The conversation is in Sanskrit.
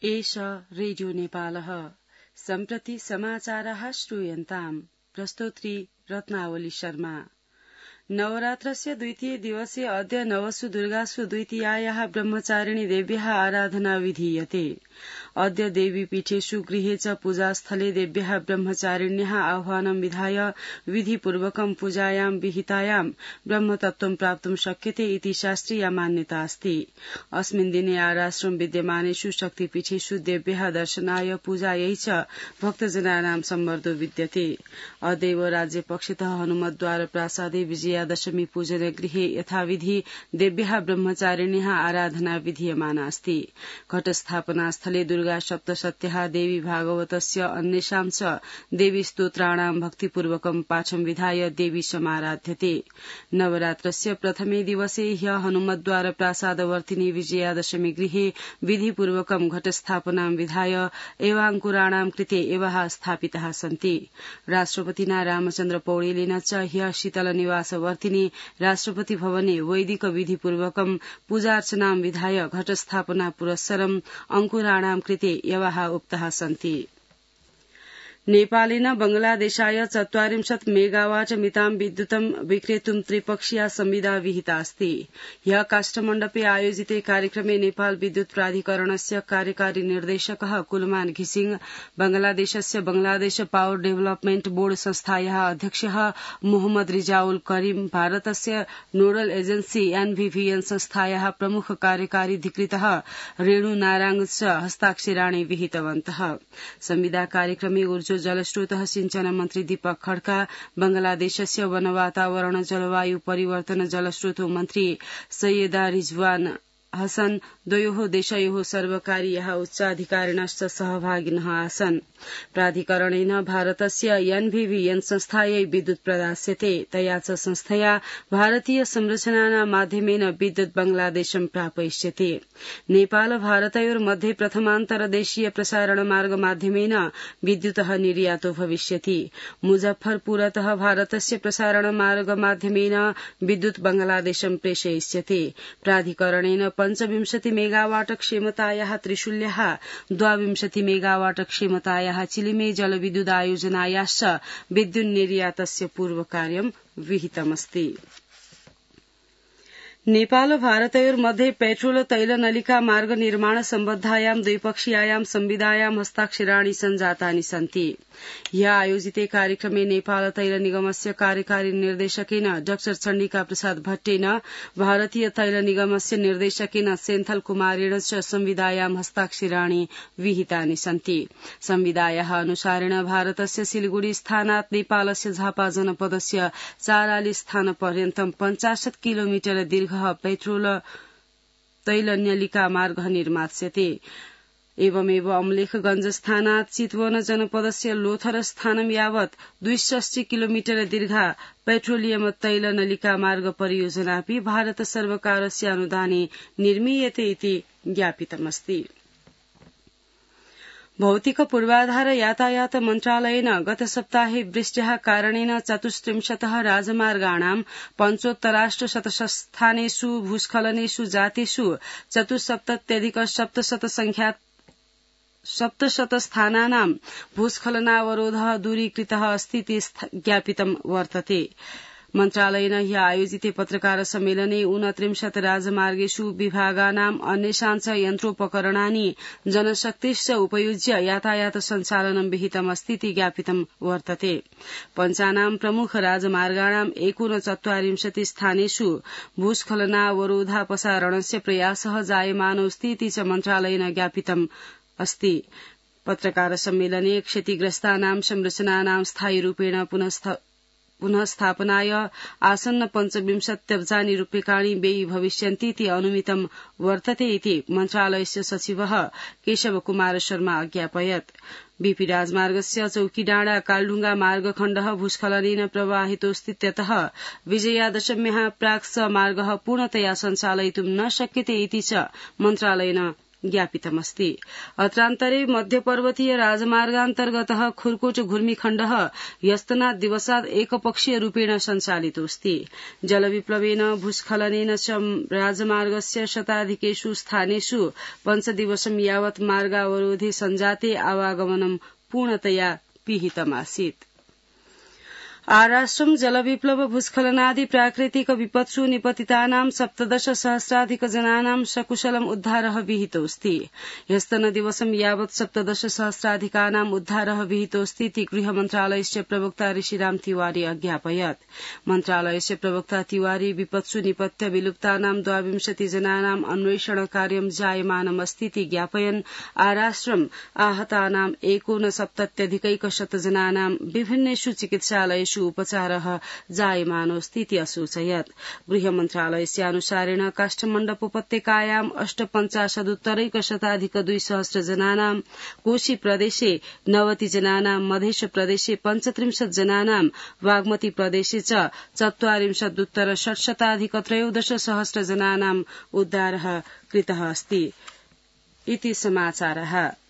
एष रेडियो नेपालः सम्प्रति समाचाराः श्रूयन्ताम् प्रस्तोत्री रत्नावली शर्मा। नवरात्रस्य द्वितीय दिवसे अद्य नवसु दुर्गासु द्वितीयायाः ब्रह्मचारिणी देव्याः आराधना विधीयते। अद्य देवीपीठेषु गृहे च पूजास्थले देव्याः ब्रह्मचारिण्याः आह्वानं विधाय विधिपूर्वकं पूजायां विहितायां ब्रह्मतत्त्वं प्राप्तुं शक्यते इति शास्त्रीया मान्यता अस्ति। अस्मिन् दिने आराश्रम विद्यमानेषु शक्तिपीठेषु देव्याः दर्शनाय पूजायै च भक्तजनानां सम्मर्दो विद्यते। अद्यैव राज्यपक्षतः हनुमद्वार प्रासादे विजयादशमी पूजन गृहे यथाविधि देव्याः ब्रह्मचारिण्याः आराधना विधीयमाना अस्ति। घटस्थापनास्थले दुर्गा सप्तशत्याः देवी भागवतस्य अन्येषां च देवी स्तोत्राणां भक्तिपूर्वकं पाठं विधाय देवी समाराध्यते। नवरात्रस्य प्रथमे दिवसे ह्यः हनुमद्वार प्रासादवर्तिनी विजयादशमी गृहे विधिपूर्वकं घटस्थापनां विधाय एवाङ्कुराणां कृते एवाः स्थापिताः सन्ति। राष्ट्रपतिना रामचन्द्र पौडेलेन च ह्यः शीतलनिवासवर्तिनी राष्ट्रपति भवने वैदिक विधिपूर्वकं पूजार्चनां विधाय घटस्थापना पुरस्सरं अंकुराणां कृते यवाः उक्ताः सन्ति। नेपालेन बंगलादेशाय 40 मेगावाट मितां विद्युतं विक्रेतुं त्रिपक्षीया संविदा विहिता अस्ति। ह्यः काष्ठमण्डपे आयोजिते कार्यक्रमे नेपाल विद्युत प्राधिकरणस्य कार्यकारी निर्देशकः कुलमान घिसिङ, बंगलादेशस्य बंगलादेश पावर डेभलपमेन्ट बोर्ड संस्थायाः अध्यक्षः मोहम्मद रिजाउल करीम, भारतस्य नोडल एजेन्सी एनभीवीएन संस्थायाः प्रमुख कार्यकारी अधिकृतः रेणु नाराङ च हस्ताक्षराणि विहितवन्तः। संविदा कार्यक्रमे ऊर्जा जलस्रोतः सिंचन मन्त्री दीपक खड्का, बंगलादेशस्य वन वातावरण जलवायु परिवर्तन जलस्रोतो मन्त्री सैयदा रिजवान हसन, द्वयोः देशयोः सर्वकारीयाः उच्चाधिकारिणश्च सहभागिनः आसन्। प्राधिकरणेन भारतस्य एनभीवीएन संस्थायै विद्युत् प्रदास्यते। तया च संस्थया भारतीय संरचनानां माध्यमेन विद्युत् बंगलादेशं प्रापयिष्यते। नेपाल भारतयोर्मध्ये प्रथमान्तरदेशीय प्रसारण मार्ग माध्यमेन विद्युतः निर्यातो भविष्यति। मुजफ्फरपुरतः भारतस्य प्रसारण मार्ग माध्यमेन विद्युत् बंगलादेशं प्रेषयिष्यते। प्राधिकरणेन 25 मेगावाट क्षमतायाः त्रिशूल्याः 22 मेगावाट क्षमतायाः चिलिमे जलविद्युत आयोजनायाश्च विद्युन्निर्यातस्य पूर्वकार्यं विहितमस्ति। नेपाल भारतयोर्मध्ये पेट्रोल तैल नलिका मार्ग निर्माण सम्बद्धायां द्विपक्षीयायां संविदायां हस्ताक्षराणि सञ्जातानि सन्ति। ह्यः आयोजिते कार्यक्रमे नेपाल तैल निगमस्य कार्यकारी निर्देशकेन डा चण्डिका प्रसाद भट्टेन, भारतीय तैल निगमस्य निर्देशकेन सेन्थल कुमारेण च संविदायां हस्ताक्षराणि विहितानि सन्ति। संविदायाः अनुसारेण भारतस्य सिलिगुडी स्थानात् नेपालस्य झापा जनपदस्य ४ स्थानपर्यन्तं 50 किलोमिटर दीर्घ पेट्रोल तैल नलिका मार्ग निर्मास्यते। एवमेव अम्लेखगंज स्थानात् चितवन जनपदस्य लोथर स्थानं यावत् 62 किलोमिटर दीर्घा पेट्रोलियम तैल नलिका मार्ग परियोजनापि भारत सर्वकारस्य अनुदाने निर्मीयते इति ज्ञापितमस्ति। भौतिक पूर्वाधार यातायात मन्त्रालयेन गत सप्ताहे वृष्ट्याः कारणेन 34 राजमार्गाणां 75 स्थानेषु भूस्खलनेषु जातेषु 74,700 स्थानानां भूस्खलनावरोधः दूरीकृतः अस्ति इति ज्ञापितं वर्तते। मन्त्रालयेन ह्यः आयोजिते पत्रकार सम्मेलने 29 राजमार्गेषु विभागानाम् अन्येषां च यन्त्रोपकरणानि जनशक्तिश्च उपयुज्य यातायात सञ्चालनं विहितमस्ति इति ज्ञापितं वर्तते। पञ्चानां प्रमुख राजमार्गाणां 39 स्थानेषु भूस्खलनावरोधापसारणस्य प्रयासः जायमानोऽस्ति इति च मन्त्रालयेन ज्ञापितम् अस्ति। पत्रकार सम्मेलने क्षतिग्रस्तानां संरचनानां स्थायी रूपेण पुनः स्थापनाय आसन्न 25 अब्जानि रूप्यकाणि व्ययी भविष्यन्ति इति अनुमितं वर्तते इति मन्त्रालयस्य सचिवः केशव कुमार शर्मा अज्ञापयत्। बीपी राजमार्गस्य चौकीडाँडा कालढुङ्गा मार्गखण्डः भूस्खलनेन प्रभावितोऽस्तीत्यतः विजयादशम्याः प्राक् स मार्गः पूर्णतया सञ्चालयितुं न शक्यते इति च मन्त्रालयेन ज्ञापितमस्ति। अत्रान्तरे मध्यपर्वतीय राजमार्गान्तर्गतः खुर्कोच घुर्मिखण्डः ह्यस्तनात् दिवसात् एकपक्षीय रूपेण सञ्चालितोऽस्ति। जलविप्लवेन भूस्खलनेन च राजमार्गस्य शताधिकेषु स्थानेषु 5 दिवसं यावत् मार्गावरोधे सञ्जाते आवागमनं पूर्णतया पिहितमासीत्। आराष्ट्रं जलविप्लव भूस्खलनादि प्राकृतिक विपत्सु निपतितानां 17,000 जनानां सकुशलम् उद्धारः विहितोऽस्ति। ह्यस्तनदिवसं यावत् 17,000 उद्धारः विहितोऽस्ति इति गृहमन्त्रालयस्य प्रवक्ता ऋषिराम तिवारी अज्ञापयत्। मन्त्रालयस्य प्रवक्ता तिवारी विपत्सु निपत्य विलुप्तानां 22 जनानां अन्वेषण कार्यं जायमानमस्ति इति ज्ञापयन् आराष्ट्रम् आहतानां 69,100 जनानां विभिन्नेषु चिकित्सालयेषु उपचारः जायमानोऽस्ति इति असूचयत्। गृहमन्त्रालयस्यानुसारेण काष्ठमण्डप उपत्यकायां 58,100 जनानां, कोशी प्रदेशे 90 जनानां, मधेशप्रदेशे 35 जनानां, बागमती प्रदेशे च 44,613 जनानां उद्धारः कृतः अस्ति इति समाचारः।